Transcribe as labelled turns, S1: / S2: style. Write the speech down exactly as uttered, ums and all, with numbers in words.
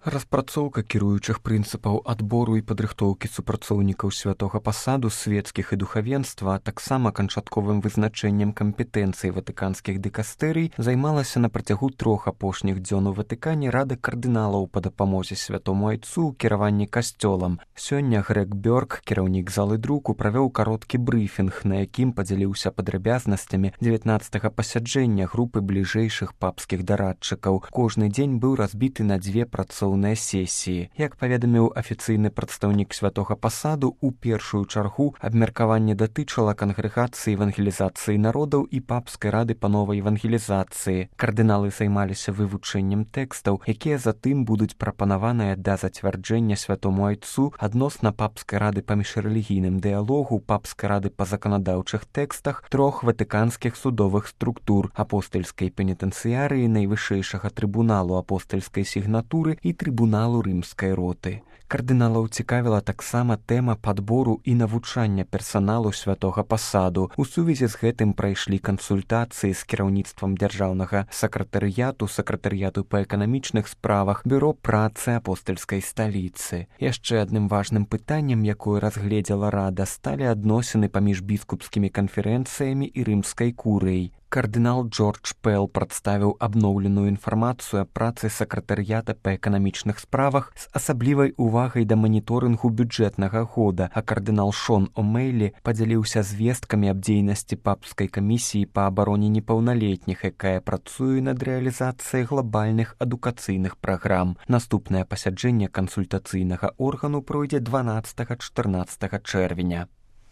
S1: Распрацоўка кіруючых прынцыпаў адбору і падрыхтоўкі супрацоўнікаў святога пасаду свецкіх і духавенства, а таксама канчатковым вызначэннем кампетэнцый ватыканскіх дыкастэрый займалася на працягу трох апошніх дзён у Ватыкане Рада кардыналаў па дапамозе святому айцу ў кіраванні касцёлам. Сёння Грег Бёрк, кіраўнік залы друку, правёў кароткі брыфінг, на якім падзяліўся падрабязнасцямі дзевятнаццатага пасяджэння групы бліжэйшых папскіх дарадчыкаў. Кожны дзень быў разбіты на дзве працоўныя сесіі. Як паведаміў афіцыйны прадстаўнік святога пасаду, у першую чаргу абмеркаванне датычыла кангрэгацыі евангелізацыі народаў і папскай рады па новай евангелізацыі. Кардыналы займаліся вывучэннем тэкстаў, якія затым будуць прапанаваныя да зацвярджэння святому айцу адносна папскай рады па міжрэлігійным дыялогу, папскай рады па заканадаўчых тэкстах трох ватыканскіх судовых структур: апостальскай пенітэнцыярыі, найвышэйшага трыбуналу апостальскай сігнатуры і трыбуналу рымскай роты. Кардыналаў цікавіла таксама тэма падбору і навучання персаналу святога пасаду. У сувязі з гэтым прайшлі кансультацыі з кіраўніцтвам дзяржаўнага сакратарыяту, сакратарыяту па эканамічных справах, бюро працы апостальскай сталіцы. Яшчэ адным важным пытаннем, якое разгледзела рада, сталі адносіны паміж біскупскімі канферэнцыямі і рымскай курыяй. Кардынал Джордж Пэл прадставіў абноўленую інфармацыю аб працы сакратарыята па эканамічных справах з асаблівай увагай да маніторынгу бюджэтнага года, а кардынал Шон О'Мейлі падзяліўся звесткамі аб дзейнасці папскай камісіі па абароне непаўналетніх, якая працуе над рэалізацыяй глабальных адукацыйных праграм. Наступнае пасяджэнне кансультацыйнага органу пройдзе дванаццатага-чатырнаццатага чэрвеня.